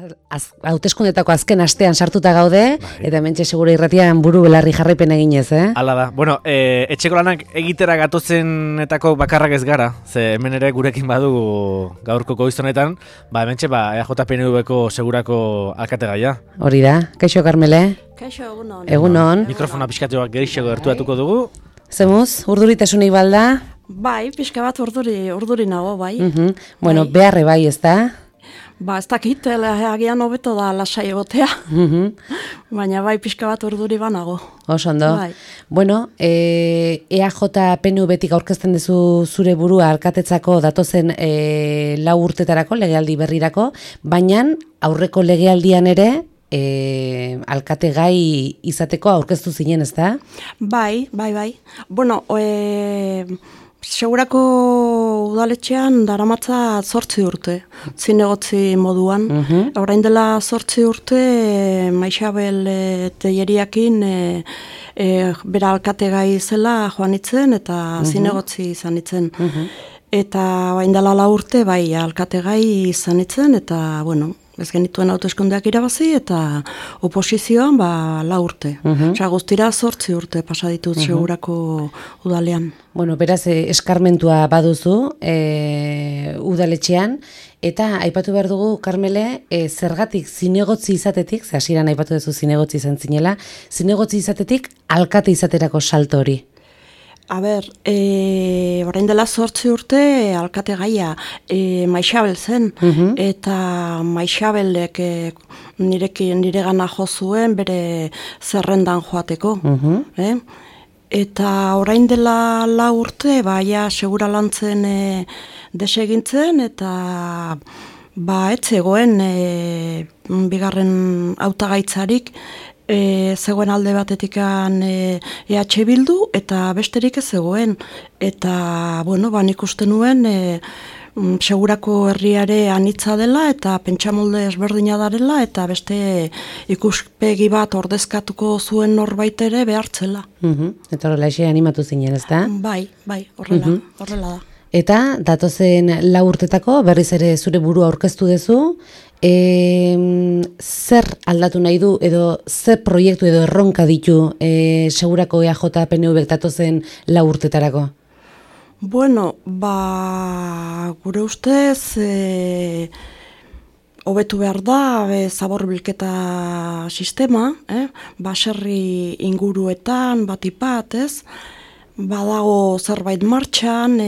Hauteskundetako azken astean sartuta gaude, eta hementxe segura irratian buru belarri jarraipen eginez, Hala da. Bueno, etxeko lanak egitera gatozenetako bakarrak ez gara, ze hemen ere gurekin badugu gaurko goizonetan, hementxe EAJ-PNV-ko segurako alkategaia. Hori da, kaixo Karmele? Kaixo, egunon. Egunon. Mikrofona pixkatuak gerixego gertuatuko dugu. Zemuz, urduritasunik balda? Bai, pixka bat urduri nago, bai. Bueno, beharre bai, ez da? Ez dakit, agian hobeto da lasai egotea. Baina bai, pixka bat urduri banago. Oso ondo. Bai. Bueno, EAJ-PNV-tik aurkezten duzu zure burua alkatetzako datozen 4 urtetarako, legealdi berrirako, baina aurreko legealdian ere alkate gai izateko aurkeztu zinen, ez da? Bai. Bueno, segurako udaletxean daramatza 8 urte, zinegotzi moduan. Orain dela 8 urte, Maixabel Telleriakin bera alkate gai zela joan itzen eta zinegotzi izan itzen. Eta orain dela 4 urte, bai, alkate gai izan itzen, eta, bueno, ez genituen hauteskundeak irabazi eta oposizioan 4 urte. Osea, guztira 8 urte pasa ditut segurako udalean. Bueno, beraz, eskarmentua baduzu udaletxean, eta aipatu behar dugu, Karmele, zergatik zinegotzi izatetik, ze hasieran aipatu duzu zinegotzi izan zinela, zinegotzi izatetik alkate izaterako salto hori. Orain dela 8 urte alkate gaia Maixabel zen, eta Maixabelek niregana jo zuen bere zerrendan joateko. Eta orain dela 4 urte, baia segura lantzen desegintzen, eta ez zegoen bigarren hautagaitzarik, zegoen alde batetikan EH Bildu, eta besterik ez zegoen. Eta, bueno, nik uste nuen segurako herriare anitza dela, eta pentsamolde ezberdina darela, eta beste ikuspegi bat ordezkatuko zuen norbait ere behartzela. Eta horrela ese animatu zinen, ez da? Bai, horrela da. Eta datozen 4 urtetako berriz ere zure burua aurkeztu duzu, zer aldatu nahi du edo zer proiektu edo erronka ditu segurako EAJ-PNV datozen 4 urtetarako? Bueno, gure ustez hobetu behar da zabor bilketa sistema, baserri inguruetan batipat, ez? Badago zerbait martxan,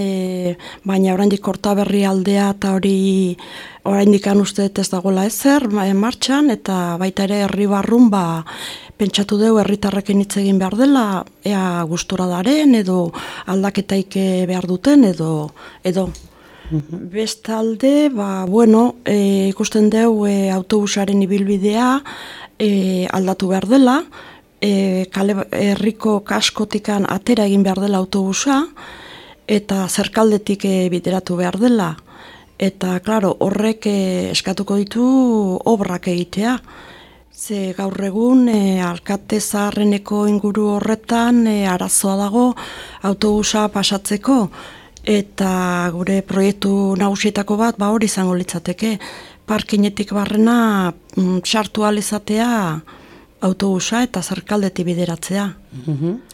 baina oraindik Kortaberri aldea eta hori oraindik uste ez dagoela ezer martxan, eta baita ere herri barrun pentsatu dugu herritarrekin hitz egin behar dela, ea gustura daren edo aldaketaik behar duten edo. Bestalde, bueno, ikusten dugu autobusaren ibilbidea aldatu behar dela, herriko kaskotikan atera egin behar dela autobusa, eta zerkaldetik bideratu behar dela. Eta, klaro, horrek eskatuko ditu obrak egitea. Ze gaur egun alkate zaharreneko inguru horretan arazoa dago autobusa pasatzeko, eta gure proiektu nagusietako bat hori izango litzateke. Parkinetik barrena sartu ahal izatea autobusa eta zerkaldetik bideratzea.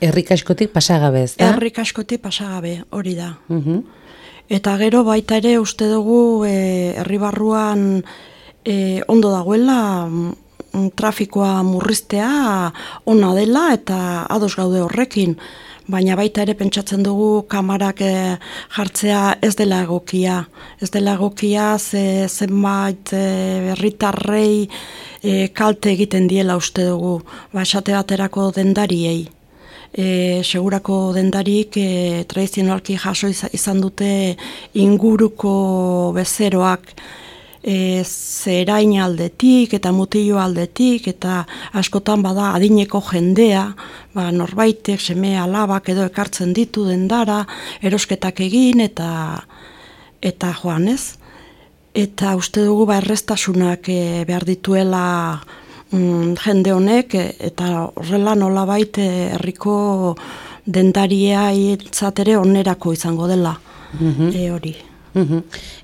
Herrikaskotik pasagabe, ez da? Herrikaskotik pasagabe, hori da. Eta gero baita ere uste dugu herri barruan ondo dagoela trafikoa murriztea ona dela eta ados gaude horrekin. Baina baita ere pentsatzen dugu kamarak jartzea ez dela egokia. Ez dela egokia zenbait herritarrei kalte egiten diela uste dugu, esate baterako dendariei. Segurako dendarik tradizionalki jaso izan dute inguruko bezeroak zerain aldetik eta mutillo aldetik, eta askotan bada adineko jendea, norbaitek seme alabak edo ekartzen ditu dendara, erosketak egin eta joan, ez? Eta uste dugu erreztasunak behar dituela jende honek, eta horrela nolabait herriko dendaria hiltzatere onerako izango dela hori.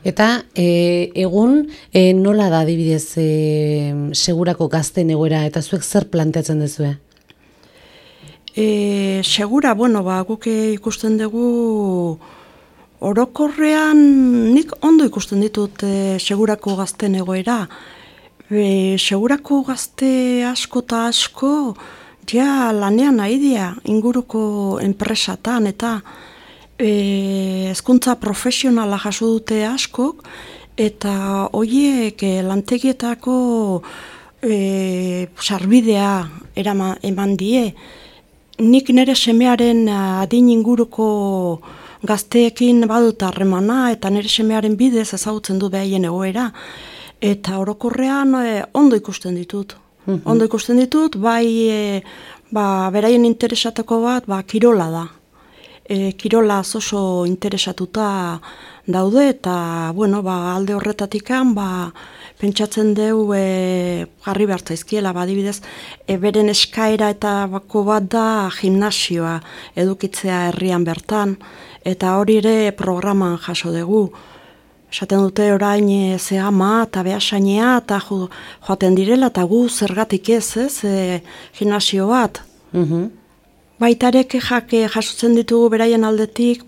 Eta egun nola da adibidez segurako gazten egoera eta zuek zer planteatzen duzue? Segura, guk ikusten dugu orokorrean nik ondo ikusten ditut segurako gazten egoera. Segurako gazte asko eta asko ja lanean nahi dira inguruko enpresatan eta hezkuntza profesionala jaso dute askok eta horiek lantegietako sarbidea eman die. Nik nire semearen adin inguruko gazteekin badut harremana eta nire semearen bidez ezagutzen du behaien egoera. Eta orokorrean ondo ikusten ditut. Ondo ikusten ditut, bai beraien interesateko bat kirola da. Kirola oso interesatuta daude eta alde horretatikan pentsatzen deu jarri behar zaizkiela, adibidez, beren eskaera eta bako bat da gimnasioa edukitzea herrian bertan, eta hori ere programan jaso dugu. Esaten dute orain zehama eta behasainea eta joaten direla eta gu zergatik ez, gimnasio bat. Baitarek jasotzen ditugu beraien aldetik,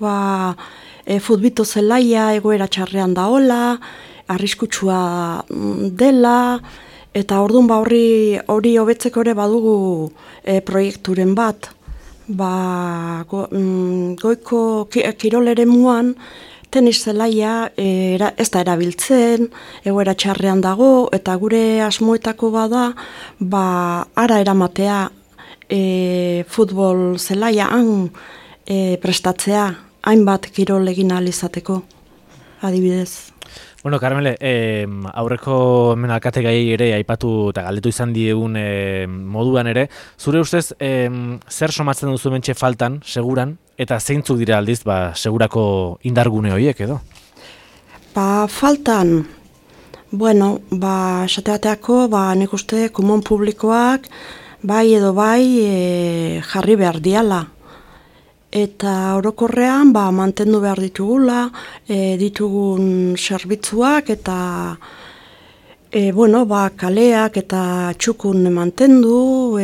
futbito zelaia egoera txarrean daola, arriskutsua dela, eta orduan hori hobetzeko ere badugu proiekturen bat. Goiko kiroleremuan tenis zelaia ez da erabiltzen, egoera txarrean dago, eta gure asmoetako bada, ara eramatea futbol zelaia prestatzea, hainbat kirol egin ahal izateko, adibidez. Bueno, Carmele, aurreko hemen alkate gai ere aipatu eta galdetu izan diegun moduan ere, zure ustez zer somatzen duzu mentxe faltan, seguran, eta zeintzuk dira aldiz segurako indargune horiek edo? Faltan, esate bateako, nik uste kumon publikoak bai edo bai jarri behar diala. Eta orokorrean mantendu behar ditugula, ditugun zerbitzuak eta kaleak eta txukun mantendu,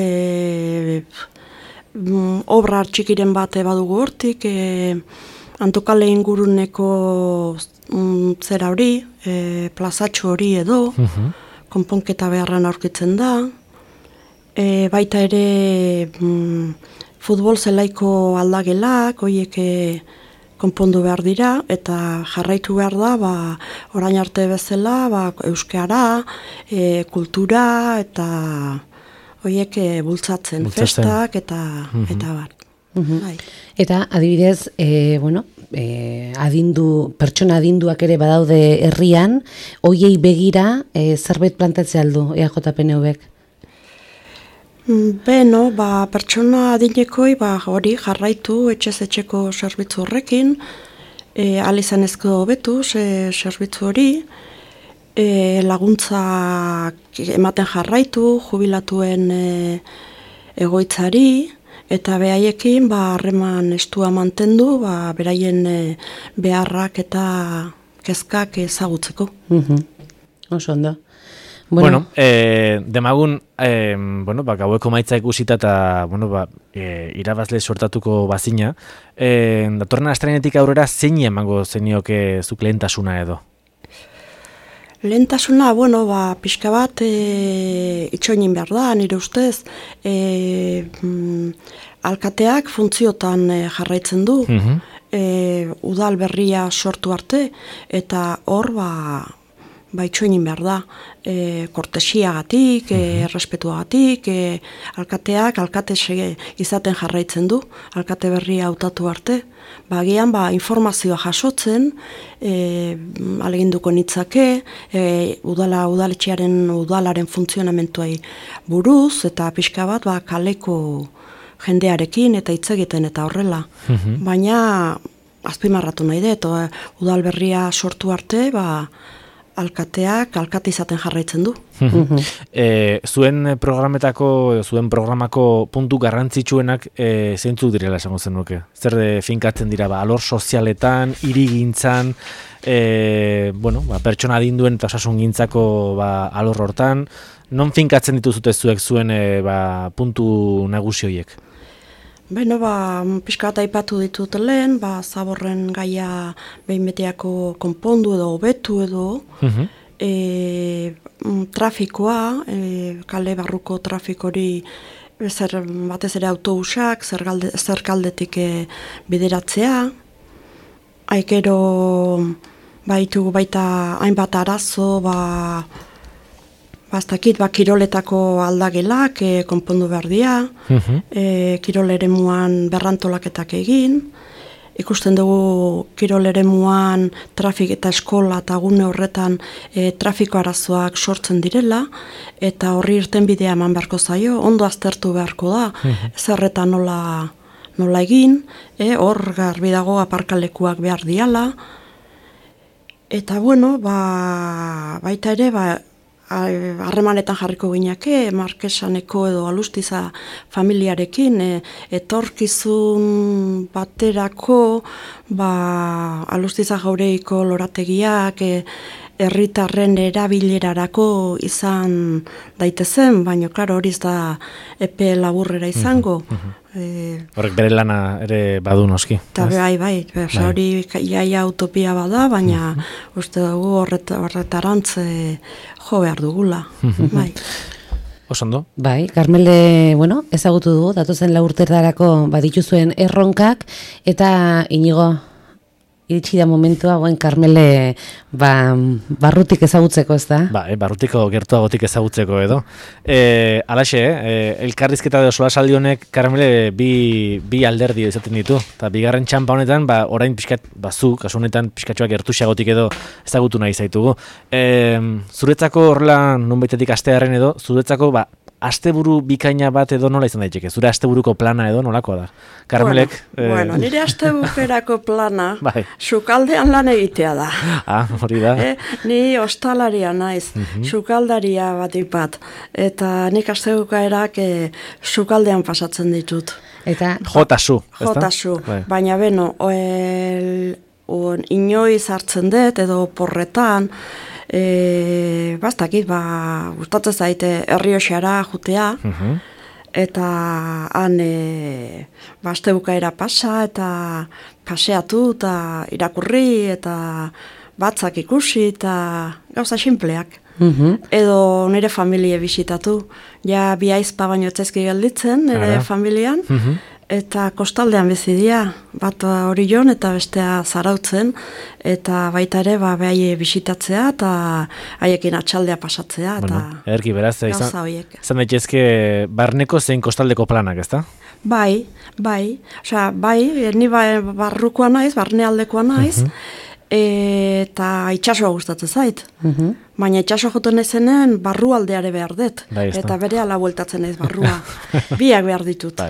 obra txikiren bat badugu hortik, Antokale inguruneko zera hori, plazatxo hori edo, konponketa beharran aurkitzen da, baita ere futbol zelaiko aldagelak, horiek konpondu behar dira, eta jarraitu behar da, orain arte bezala, euskara, kultura, eta horiek bultzatzen, festak, eta bar. Eta adibidez, pertsona adinduak ere badaude herrian, horiei begira zerbait plantatzea aldu EAJPNV-ek? Pertsona adinekoi hori jarraitu etxez-etxeko zerbitzu horrekin, alizanezko hobetu zerbitzu hori, laguntzak ematen jarraitu, jubilatuen egoitzari, eta behaiekin harreman estua mantendu, beraien beharrak eta kezkak ezagutzeko. Oso ondo. Bueno, demagun, gaueko maitza ikusita eta, irabazle sortatuko bazina. Datorren astelehenetik aurrera zein emango zenioke zuk lehentasuna edo? Lehentasuna, pixka bat itxoinin behar da, nire ustez. Alkateak funtziotan jarraitzen du, udal berria sortu arte, eta hor, itxoinin behar da, kortesiagatik, errespetuagatik, alkateak alkate izaten jarraitzen du, alkate berria hautatu arte, bagian informazioa jasotzen, aleginduko nitzake, udalaren funtzionamentuai buruz, eta pixka bat kaleko jendearekin eta hitz egiten eta horrela. Baina azpimarratu nahi dut, udal berria sortu arte, alkateak alkate izaten jarraitzen du. Zuen programako puntu garrantzitsuenak zeintzuk direla esango zenuke? Zer finkatzen dira, alor sozialetan, hirigintzan, pertsona adinduen eta osasungintzako alor hortan, non finkatzen dituzute zuek zuen puntu nagusi horiek? Beno, pixka bat aipatu ditut lehen, zaborren gaia behin beteako konpondu edo hobetu edo, trafikoa, kale barruko trafikori batez ere autobusak, zerkaldetik bideratzea, aikero baitugu baita hainbat arazo, kiroletako aldagelak konpondu behar dira, kirol eremuan berrantolaketak egin, ikusten dugu kirol eremuan trafik eta eskola eta gune horretan trafiko arazoak sortzen direla, eta horri irtenbidea eman beharko zaio, ondo aztertu beharko da, zerreta nola egin, hor garbi dago aparkalekuak behar diala, eta baita ere, harremanetan jarriko gineake, Markesaneko edo Alustiza familiarekin, etorkizun baterako, Alustiza Jauregiko lorategiak, herritarren erabilerarako izan daitezen, baina klaro hori da epe laburrera izango. Horrek bere lana ere badu noski. Eta bai, hori iaia utopia bada, baina uste dugu horretarantz jo behar dugula. Bai. Osondo? Bai, Karmele, ezagutu dugu, datozen 4 urteetarako badituzuen erronkak, eta Inigo, iritsi da momentua, Karmele barrutik ezagutzeko, ez da? Barrutiko gertuagotik ezagutzeko edo. Alaxe, elkarrizketa edo solasaldi honek Karmele bi alderdi izaten ditu. Eta bigarren txampa honetan, orain pixkat, zu, kasu honetan pixkatxoak gertuxagotik edo ezagutu nahi zaitugu. Zuretzako horrela, nonbaitetik astearen edo, zuretzako asteburu bikaina bat edo nola izan daiteke? Zure asteburuko plana edo nolakoa da? Karmelek? Nire asteburuko plana sukaldean lan egitea da. Hori da. Ni ostalaria naiz, sukaldaria bat. Eta nik asteburukaerak sukaldean pasatzen ditut. Jotasu. Baina inoiz hartzen dut edo porretan, gustatzen zaite Errioxara jutea, eta han astebukaera pasa, eta paseatu, eta irakurri, eta batzak ikusi, eta gauza sinpleak. Edo nire familie bisitatu. Ja, bi aizpa baino etzaizki gelditzen, nire familian, eta kostaldean bizidia, bat Orion eta bestea Zarautzen, eta baita ere behai bisitatzea eta haiekin atxaldea pasatzea. Ederki beraz, izan daitezke barneko zein kostaldeko planak, ezta? Bai, ni barrukoa naiz, barnealdekoa naiz, eta itxasoa gustatzen zait. Baina itxaso joten ezenen barrualdeare behar dut. Eta bere ala bueltatzen naiz barrua. Biak behar ditut.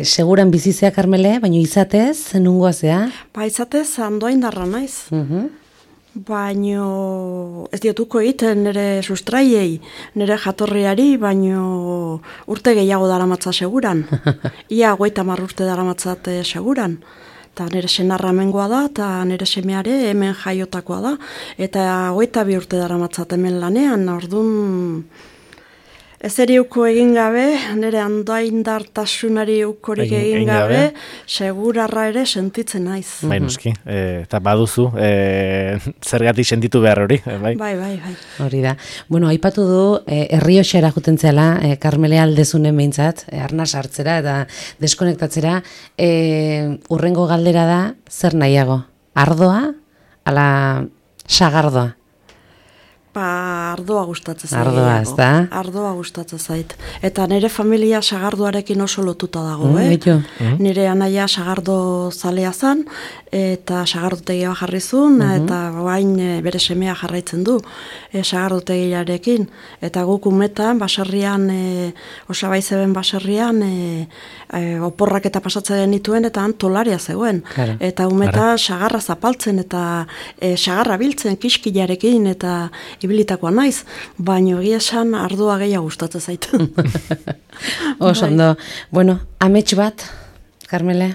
Seguran bizizea, Karmele, baina izatez, nungoa zea? Izatez, Andoaindarra naiz. Baina ez diotuko egiten nire sustraiei, nire jatorriari, baina urte gehiago daramatza seguran. Ia 50 urte daramatzat seguran. Eta nire senarra hemengoa da, eta nire semeare hemen jaiotakoa da. Eta 22 urte daramatzat hemen lanean, orduan ezeri uko egin gabe, nire andoaindartasunari ukorik egin gabe, segurarra ere sentitzen naiz. Noski, eta baduzu, zergatik sentitu behar hori. Bai. Hori da. Aipatu du, Errioxara juten zela, Karmele aldezunen behintzat, arnaz hartzera eta deskonektatzera, urrengo galdera da, zer nahiago? Ardoa, ala sagardoa? Ardoa gustatzen zait. Ardoa, ez da? Ardoa gustatzen zait. Eta nire familia sagardoarekin oso lotuta dago, Nire anaia sagardo zalea zan, eta sagardotegia jarri zuen, eta bain bere semea jarraitzen du sagardotegiarekin. Eta guk umetan, baserrian, Osabai zeben baserrian, oporrak eta pasatzen dituen, eta tolaria zegoen. Claro. Eta umeta sagarra zapaltzen, eta sagarra biltzen kiskilarekin, eta ibilitakoa naiz, baina egia esan ardoa gehiago gustatzen zait. Oso ondo. Bueno, amets bat, Karmele?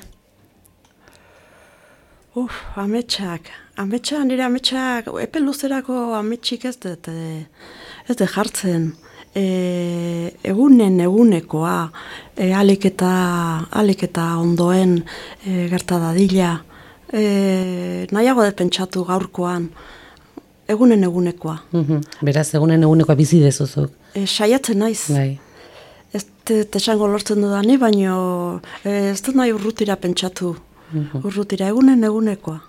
Nire ametsak, epe luzerako ametsik ez dut jartzen. Egunekoa, alik eta ondoen gerta dadila. Nahiago dut pentsatu gaurkoan, egunekoa. Beraz, egunekoa bizi dezuzuk. Saiatzen naiz. Bai. Ez esango lortzen dudani, baina ez dut nahi urrutira pentsatu. Urrutira, egunekoa.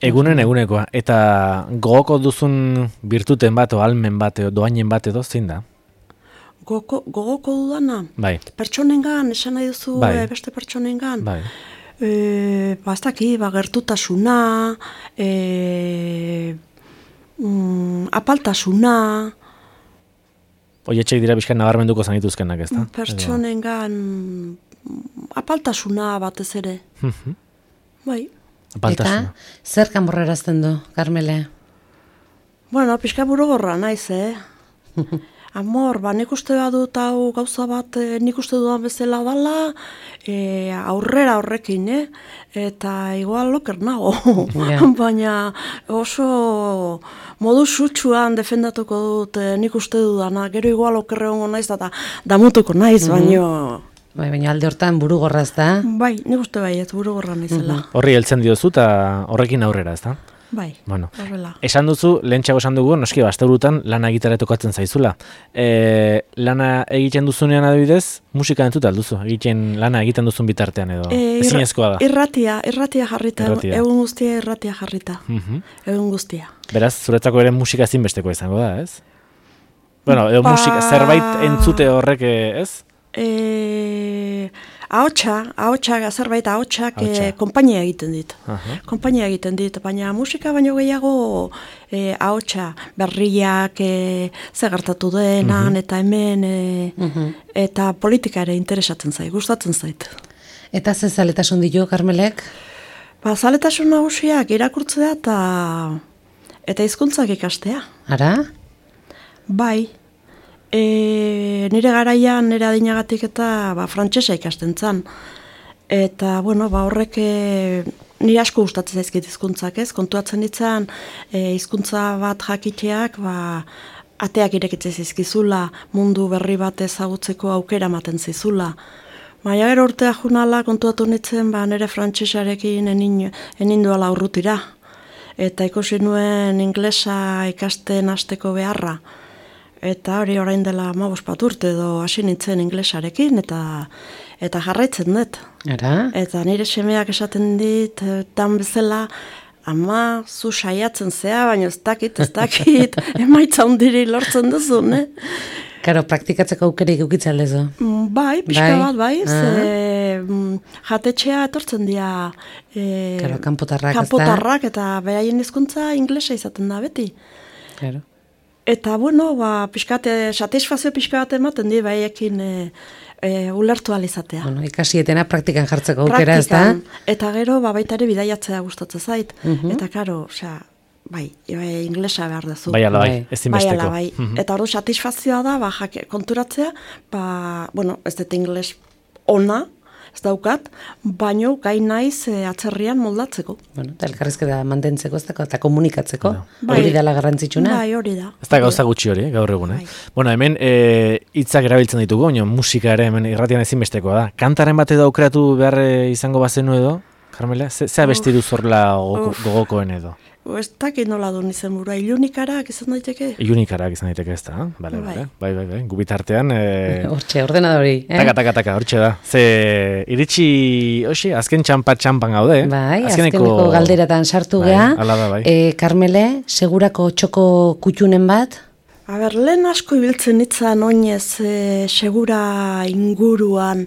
Egunekoa. Eta gogoko duzun birtuten bat, o almen bat, o doainen bat edo, zein da? Gogoko dudana? Bai. Pertsonengan, esan nahi duzu beste pertsonengan? Bai. Bastaki, gertutasuna, apaltasuna. Oietxek dira bizkan nabarmenduko zanituzkenak, ez da? Pertsonengan apaltasuna batez ere. Bai. Apaltasuna. Eta zer kanborrerazten du, Karmele? Bueno, pixka burugorra naiz, Amor, nik uste badut hau gauza bat nik uste dudan bezala dala, aurrera horrekin, eta igual loker nago. Baina oso modu sutsuan defendatuko dut nik uste dudana, gero igual okerre hongo naiz eta damutuko naiz, Baina alde hortan burugorra ez da? Bai, nik uste ez burugorra naizela. Horri heltzen diozu eta horrekin aurrera, ez da? Bai, horrela. Esan duzu, lehentxago esan dugu, noski, asteburutan lana egitera tokatzen zaizula. Lana egiten duzunean adibidez, musika entzuta alduzu, lana egiten duzun bitartean edo, ezinezkoa da. Irratia jarrita, egun guztia irratia jarrita, egun guztia. Beraz, zuretzako ere musika ezinbesteko izango da, ez? Bueno, edo musika, zerbait entzute horrek, ez? Zerbait ahotsak konpainia egiten dit. Konpainia egiten dit, baina musika baino gehiago ahotsa berriak ze gertatu denan eta hemen eta politika ere interesatzen zait, gustatzen zait. Eta ze zaletasun ditu, Karmelek? Zaletasun nagusiak irakurtzea eta hizkuntzak ikastea. Ara? Bai. Nire garaian, nire adinagatik eta frantsesa ikasten zan. Eta, horrek nire asko gustatzen zaizkit hizkuntzak, ez? Kontuatzen ditzen hizkuntza bat jakiteak, ateak irekitzen zaizkizula, mundu berri bat ezagutzeko aukera ematen zaizula. Baina gero urtea junala kontuatu nintzen, nire frantsesarekin enin duala urrutira. Eta ikusi nuen inglesa ikasten hasteko beharra. Eta hori orain dela 15 urte edo hasi nintzen inglesarekin eta jarraitzen dut. Eta nire semeak esaten dit, tan bezala, ama, zu saiatzen zea, baina ez dakit, emaitza hundiri lortzen duzu, ne? Karo, praktikatzeko aukerik eukitza aldezu? Bai, pixka bat, jatetxea etortzen dira kanpotarrak eta beraien hizkuntza inglesa izaten da beti. Claro. Eta, satisfazio pixka bat ematen di, baiekin ulertu alizatea. Ikasietena praktikan jartzeko aukera, ez da? Eta gero, baita ere bidaiatzea gustatzen zait. Eta, karo, inglesa behar duzu. Bai, ezinbesteko. Eta hori satisfazioa da, konturatzea, ez dut ingles ona, ez daukat, baino gai naiz atzerrian moldatzeko. Eta elkarrizketa mantentzeko, ez da, eta komunikatzeko, hori dela garrantzitsuna. Bai, hori da. Ez da gauza gutxi hori, gaur egun, hemen hitzak erabiltzen ditugu, musika ere hemen irratian ezinbestekoa da. Kantaren bat edo aukeratu behar izango bazenu edo, Karmela, ze abesti duz horrela gogokoen edo? Ez dakit nola duen izen burua, ilunikarak izan daiteke? Ilunikarak izan daiteke ez da, bai, gubitartean. Hortxe, ordenadori. Taka, hortxe da. Ze iritsi, azken txampan gaude. Bai, azkeneko galderatan sartu geha. Hala da, bai. Karmele, segurako txoko kutxunen bat? Lehen asko ibiltzen itzan oinez segura inguruan,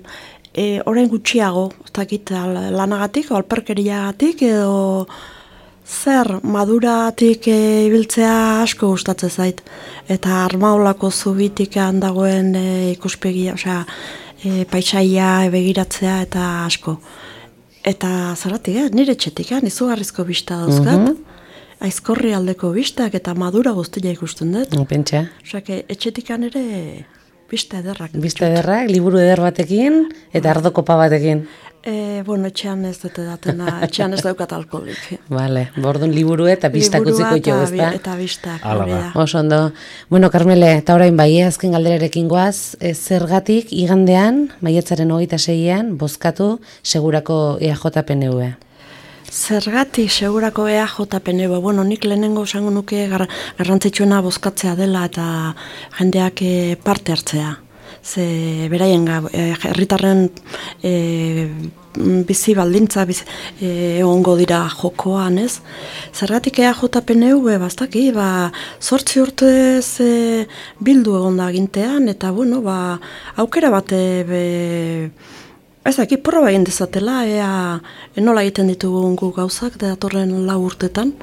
orain gutxiago, ez dakit lanagatik, alperkeriagatik edo zer maduratik ibiltzea asko gustatzen zait. Eta Armaolako zubitik dagoen ikuspegia, paisaia begiratzea eta asko. Eta zeratik, nire etxetik, izugarrizko bista dauzkat. Aizkorri aldeko bistak eta madura guztia ikusten dut. Pentsa. Etxetikan ere bista ederrak. Bista ederrak, liburu eder batekin eta ardokopa batekin. Etxean ez dute datena, etxean ez daukat alkoholik. Vale, bordun liburu eta bistak utziko jo, ezta? Eta bistak, hori da. Oso ondo. Bueno, Carmele, eta orain bai, azken galderarekin goaz, zergatik igandean, maiatzaren 26an, bozkatu segurako EAJ-PNV? Zergatik segurako EAJ-PNV, nik lehenengo esango nuke garrantzitsuena bozkatzea dela eta jendeak parte hartzea. Ze beraien herritarren bizi baldintza egongo dira jokoan, ez? Zergatik EAJ-PNV, bastaki, 8 urtez bildu egon da gintean, eta aukera bate ezaki proba egin dezatela, nola egiten ditugun gu gauzak datorren 4 urtetan,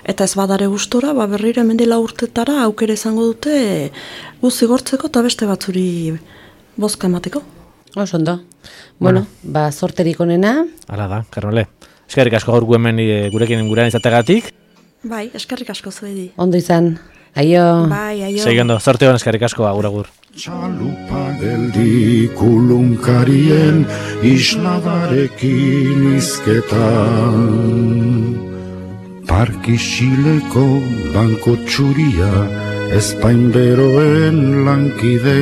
eta ez badare gustora, berriro hemendi 4 urtetara aukera izango dute zigortzeko eta beste batzuri bozka emateko. Oso ondo. Bueno, sorterik onena. Hala da, Carmele. Eskerrik asko gaur hemen gurekin izategatik. Bai, eskerrik asko zuedi. Ondo izan. Aio. Bai, aio. Segendo, sorte hon eskerrik asko, agur. Txalupa geldi kulunkarien isladarekin izketan. Parkisileko banko txuria Espain beroen lankide.